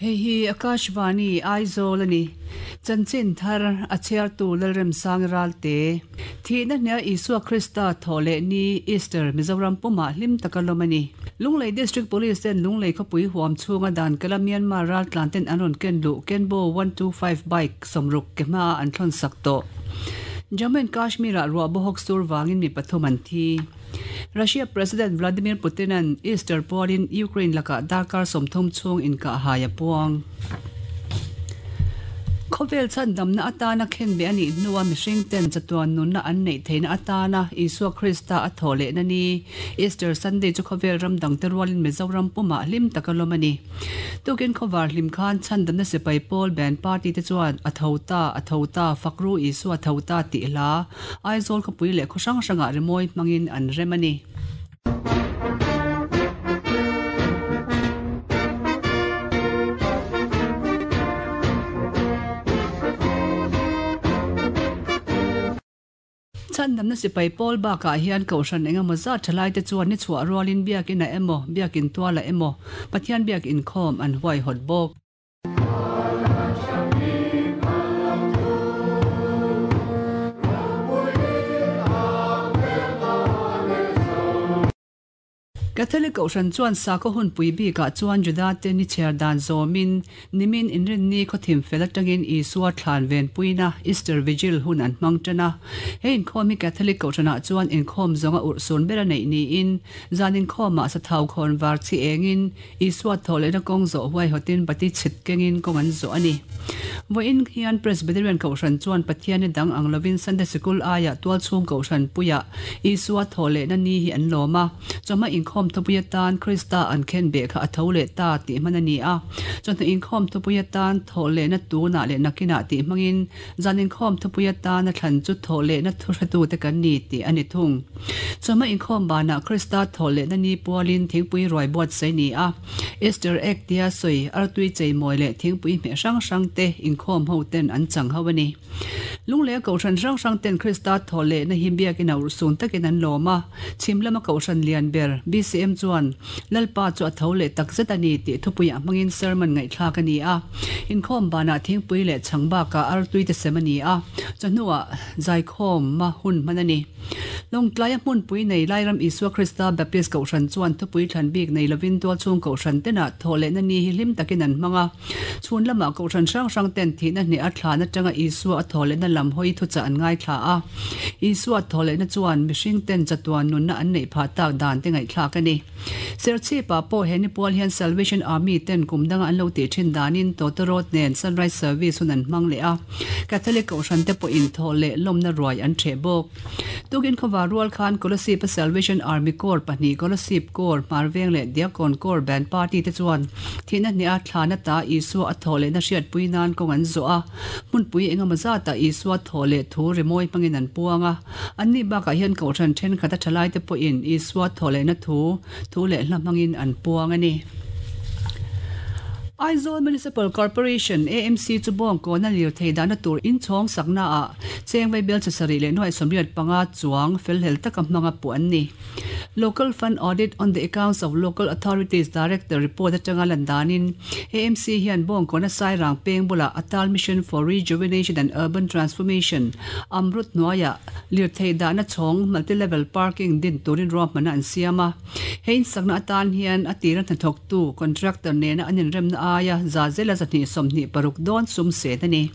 Hei hi Akashvani, Aizawl a ni. Chanchin thar a chhiartu Lalremsang Ralte. Thihna hnia Isua Krista thawh leh ni, Easter, Mizoram pumah hlim taka lawm a ni. Lunglei District Police ten Lunglei khawpui huam chhunga dan kala Myanmar raltlan ten an rawn ken luh Kenbo 125 bike sawmruk ke hmaah an thlawn sak tawh. Jammu and Kashmir-ah ruah bawhawk sur vangin mi pathum an thi. Russia President Vladimir Putin-a'n Easter pualin Ukraine lakah darkar 30 chhung inkahhai a puang. Khawvel chhandamna atana khenbeh a nih hnua mihring ten chatuan nunna an neih theihna atana Isua Krista a thawh lehna ni, Easter Sunday chu khawvel ram dangte rualin Mizoram pumah hlim taka lawm a ni. Tukin khawvar hlim khan chhandamna sipai pawl band party te chuan A tho ta, a tho ta, Fakru Isua tho ta tih hla Aizawl khawpui leh khaw hrang hrangah rimawi hmangin an rem a ni. Chhandamna sipai pawl bakah hian Kohhran engemaw zat thalaite chuan ni chhuah rualin biakinah emaw, biakin tualah emaw Pathian biak inkhawm an huaihawt bawk. Catholic Kohhran chuan sakhaw hunpui bikah chuan Judate ni chhiar dan zawmin nimin Inrinni khawthim fel atangin Isua thlan venpuina Easter Vigil hun an hmang tan a. He inkhawm hi Catholic Kohhranah chuan inkhawm zawnga urhsun ber a neih niin zan inkhawmah sathau khawn var chi engin Isua thawh lehna kawng zawh huaihawtin bati chhit kengin kawng an zawh a ni. Vawiin hian Presbyterian Kohhran chuan Pathianni dang ang lovin Sunday Sikul aiah tualchhung Kohhran puiah Isua thawh lehna ni hi an lawm a. Chawhma inkhawm thupui atan Krista an khen beh kha a tho leh ta tih hman a ni a. Chawhnu inkhawm thupui atan thawh lehna tunah leh nakinah tih hmangin Zan inkhawm thupui atana thlan chu thawh lehna thuhretute kan ni tih a ni thung. Chawhma inkhawm banah Krista thawh lehna ni pualin thingpui ruai buatsaih ni a, Easter egg tia sawi artui cheimawi leh thingpui hmeh hrang hrang te inkhawm ho ten an chang ho a ni. Lunglei a kohhran hrang hrang ten Krista thawh lehna hi biakina urhsun takin an lawm a, chhim lama kohhran lian ber BCM chuan Lalpa chu a tho leh tak zet a ni tih thupuiah hmangin sermon ngaihthlak a ni a. Inkhawm banah thingpui leh chhang bakah artui te sem a ni a, chawhnuah zaikhawma hun hman a ni. Lawngtlaia hmunpui nei Lairam Isua Krista Baptist Kohhran chuan thupui thlan bik nei lovin tualchhung Kohhran tenah thawh lehna ni hi hlim takin an hmang a. Chhun lamah Kohhran hrang hrang ten thihna hneh a thlan atanga Isua a thawh lehna lam hawi thuchah an ngaithla a. Isua thawh lehna chuan mihring ten chatuan nunna an neih phah tak dan te ngaihthlak a ni. Serchhip-ah pawh he nipual hian Salvation Army ten kum danga an lo tih thin danin Tawtawrawt nen Sunrise Service hun an hmang leh a, Catholic Kohhran te pawhin thawh leh lawmna ruai an ṭheh bawk. Tukin khawvar rual khan Kolasib-a Salvation Army Corps pahnih Kolasib Corps, Hmarveng leh Diakon Corps Band Party te chuan thihna hneha thlana ta Isua a thawh lehna hriatpui nan kawng an zawh a, hmunpui engemaw zatah Isua thawh leh thu rimawi hmangin an puang a. Anni bakah hian Kohhran thenkhat a thalaite pawhin Isua thawh lehna thu, thu leh hla hmangin an puang a ni. Aizawl Municipal Corporation, AMC, chu bawngkawna lirthei dahna tur inchhawng saknaah cheng vaibel chi sarih leh nuaih 85 chuang felhlel taka hmanga puh an ni. Local Fund Audit on the Accounts of Local Authorities Director report atanga lan danin AMC hian bawngkawna Sairang peng bulah Atal Mission for Rejuvenation and Urban Transformation, Amrut, hnuaiah lirthei dahna chhawng multi-level parking din turin ruahmanna an siam a. He insakna atan hian a tira hnathawktu, contractor, nena an inremna aia za zela 226 dawn sum sen a ni.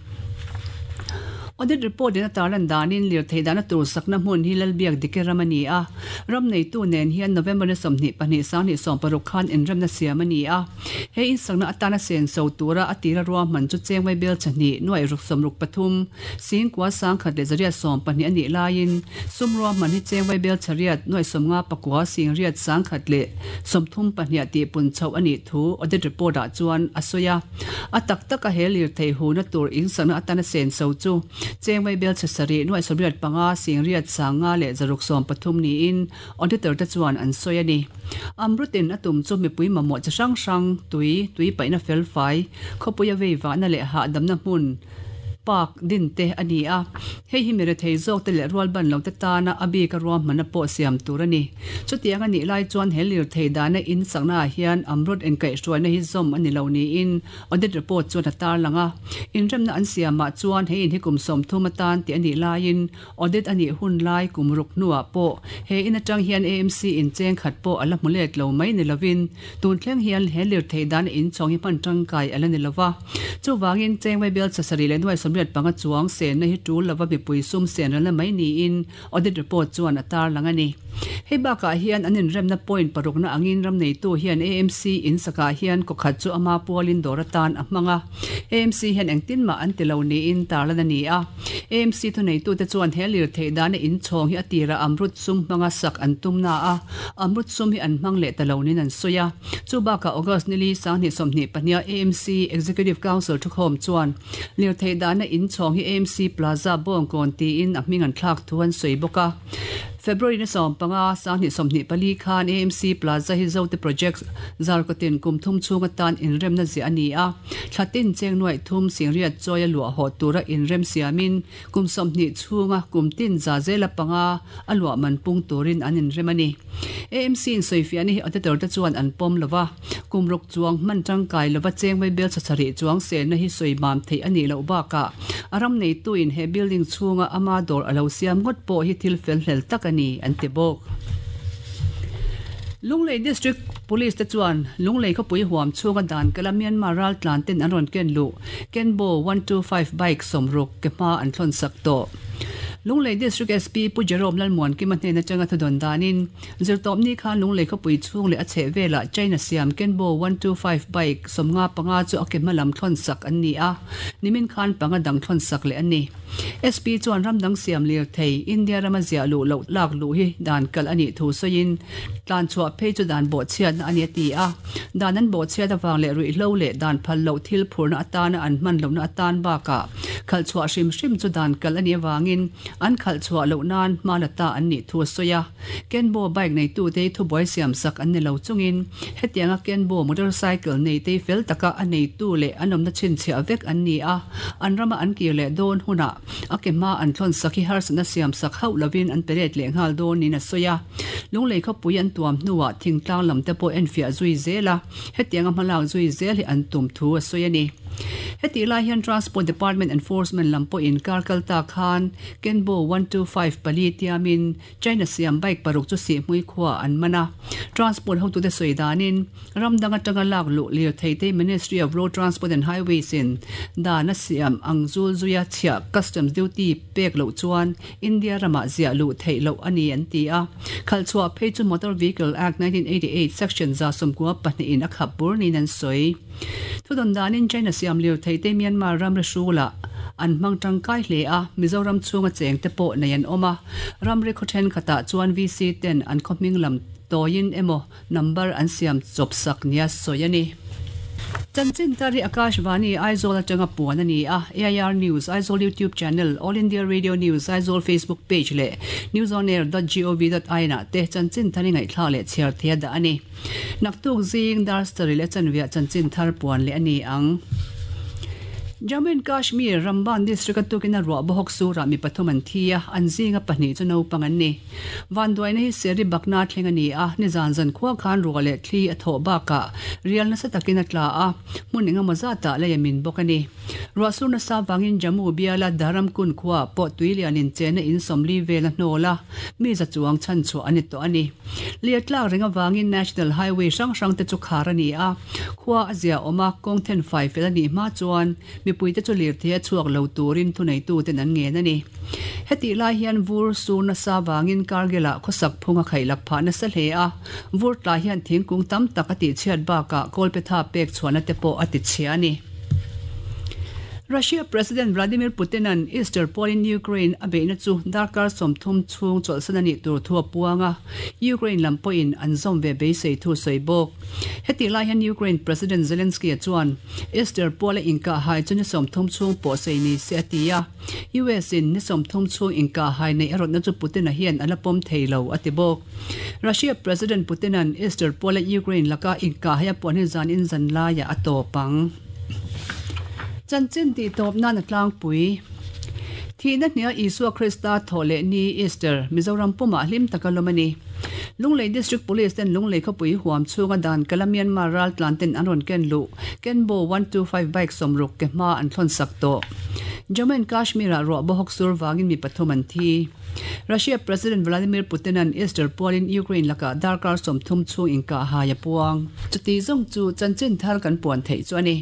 Audit report in a tarlan danin lirthei dahna tur sakna hmun hi Lalbiak Dike ram a ni a. Ram neitu nen hian November ni 22 2016 khan inremna siam a ni a. He insakna atana senso tura a tira ruahman chu Chengmai bel chahnih nuaih ruk sawmruk pathum, Singkua sangkhat leh zariat 12 a nih laiin sum ruahman hi Chengmai bel chariat nuaih sawmnga pakua singriat sangkhat leh 32 tih pun chhoh a nih thu audit report ah chuan a sawi a. A tak taka he lirthei huna tur insakna atana senso chu Chengmai bel chhe sarih nuaih 85 singriat sanga leh zaruk 13 niin Auditor te chuan an sawi a ni. Amrutin a tum chu mipui mamawh chi hrang hrang, tui, tui paihna felfai, khawpuia veivahna leh hahdamna hmun Park din te a ni a, hei hi mirethei zawk te leh rualban lo te tana a bika ruahmanna pawh siam tur a ni. Chutiang a nih lai chuan he lirthei dahna in sakna ah hian Amrut inkaihhruaina hi zawm a ni lo niin Audit report chuan a tarlang a. Inremna an siamah chuan he in hi kum 30 atan tih a nih laiin Audit a nih hun lai kum ruk hnuah pawh he in atang hian AMC in cheng khat pawh a la hmu let lo mai ni lovin tun thleng hian he lirthei dana inchhawng hi hman tangkai a la ni lova. Chuvangin cheng vaibel chasarih leh nuai 85 chuang senna hi tul lova mipui sum sen ralna mai niin Audit report chuan a tarlang a ni. Hei bakah hian an inremna point parukna angin ram neitu hian AMC in sakah hian kawkhat chu ama pualin dawr atan a hmang a. AMC hian engtin mah an ti lo niin tarlan a ni a. AMC thuneitute chuan he lirthei dana inchhawng hi a tirah Amrut sum hmanga sak an tum na a, Amrut sum hi an hmang leh ta lo niin an sawi a. Chu bakah August nili 2022 a AMC Executive Council thukhawm chuan lirthei dana inchhawng hi AMC Plaza Bawngkawn tiin a hming an thlak thu an sawi bawk a. February ni 15, 2024 khan AMC Plaza hi Zote Project Zarkawtin kum thum chhung atan inremna ziah a ni a. Thla tin cheng nuaih thum singriat chawi a luah haw tura inrem siamin kum 20 chhunga kum tin za zela panga a luah man pung turin an inrem a ni. AMC in sawifiahna hi auditor te chuan an pawm lo va, kum ruk chuang hman tangkai lova cheng vaibel chhachharih chuang senna hi sawi mam theih a nih loh bakah a ram neituin he building chhunga ama dawr a lo siam ngawt pawh hi thil fel hlel tak a ni, an ti bawk. Lunglei District Police te chuan Lunglei khawpui huam chhunga dan kala Myanmar raltlan ten an rawn ken luh Kenbo 125 bike 60 ke hma an thlawn sak tawh. Lunglei District SP Pu Jerome Lalmuankima hnen atanga thudawn danin Zirtawpni khan Lunglei khawpui chhung leh a chheh velah China siam Kenbo 125 bike 55 chu a ke hma lam thlawn sak an ni a, nimin khan panga dang thlawn sak leh a ni. SP chuan ram dang siam lirthei India rama ziah luh loh lak luh hi dan kalh a nih thu sawiin tlan chhuah phei chu dan bawhchhiatna a ni a ti a. Dan an bawhchhiat avang leh ruihhlo leh dan phal loh thil phurna atana an hman lohna atan bakah khalh chhuah hrim hrim chu dan kalh a nih avangin an khalh chhuah loh nan hma la ta an nih thu a sawi a. Kenbo bike neitute hi thubuai siam sak an ni lo chungin hetianga Kenbo motorcycle neite hi fel taka a neitu leh an awmna chhinchhiah vek an ni a, an rama an kir leh dawn hunah a ke hma an thlawn sak hi harsatna siam sak hauh lovin an pe let leh nghal dawn niin a sawi a. Lunglei khawpui an tuam hnuah thingtlang lam te pawh enfiah zui zel a, hetianga hmalak zui zel hi an tum thu a sawi a ni. Hetih lai hian Transport Department Enforcement lam pawhin kar kal ta khan Kenbo 125 pali tiamin China siam bike paruk chu Sihhmui khuaah an man a. Transport hotute sawi danin, ram dang atanga lak luh lirthei te Ministry of Road Transport and Highways in dan a siam ang zul zuia chhiah customs duty pek loh chuan India ramah ziah luh theih loh a ni an ti a. Khalh chhuah phei chu Motor Vehicle Act 1988 Section 192 in a khap bur niin an sawi. Thudawn danin China siam lirthei te Myanmar ramri hrulah an hmang tangkai hle a, Mizoram chhunga cheng te pawh nei an awm a, ramri khaw thenkhatah chuan VC ten an khaw hming lam tawiin emaw number an siam chawp sak nia sawi a ni. Chanchin tar hi Akashvani Aizawl atanga puan a ni a, AIR News Aizawl YouTube channel, All India Radio News Aizawl Facebook page leh newsonair dot gov dot in ah te chanchin thar i ngaihthlak leh chhiar thei a dah a ni. Naktuk zing dar sarih leh chanviah chanchin thar puan leh a ni ang. Jammu and Kashmir, Ramban district a tukin a ruah bawhawk surah mi pathum an thi a, an zinga pahnih chu naupang an ni. Vanduaina hi Seri Bakna thleng a ni a, nizan zan khua khan ruah leh thli a thawh bakah rial nasa takin a tla a, hmun engemaw zatah lei a min bawk a ni. Ruah sur nasa vangin Jammu biala Dharamkund khua pawh tui lianin chenna in 40 vel a hnawl a, mi za chuang chhanchhuah a ni tawh a ni. Lir tlak reng avangin National Highway hrang hrang te chu khar a ni a, khua a zia awm a, kawng then fai fel a nih hma chuan mipuite chu lirthei a chhuak lo turin thuneituten an ngen a ni. Hetih lai hian vur sur nasa vangin Kargil-ah khawsak phung a khaihlak phah nasa hle a, vur tla hian thingkung tam tak a tihchhiat bakah kawlpetha pek chhuahna te pawh a tichhia a ni. Russia President Vladimir Putin-a'n Easter pawlin Ukraine a beihna chu darkar 30 chhung chawlhsan a nih tur thu a puang a, Ukraine lam pawhin an zawm ve beisei thu sawi bawk. Hetih lai hian Ukraine President Zelensky-a chuan Easter pawla inkahhai chu ni 30 chhung pawh sei ni se a ti a, US-in ni 30 chhung inkahhai neih a rawtna chu Putin-a hian a la pawm thei lo a ti bawk. Russia President Putin-a'n Easter pawla Ukraine laka inkahhai a puan hi zan in zan laiah a tawp ang. Chanchin tih tawp nan a tlangpui. Thihna hnia Isua Krista thawh leh ni, Easter, Mizoram pumah hlim taka lawm a ni. Lunglei District Police ten Lunglei khawpui huam chhunga dan kala Myanmar raltlan ten an rawn ken luh Kenbo 125 bike sawmruk ke hma an thlawn sak tawh. Jammu and Kashmir ah ruah bawhawk sur vangin mi pathum an thi. Russia President Vladimir Putin-a'n Easter pualin Ukraine lakah darkar 30 chhung inkah hai a puang. Chuti zawng chu chanchin thar kan puan theih chu a ni.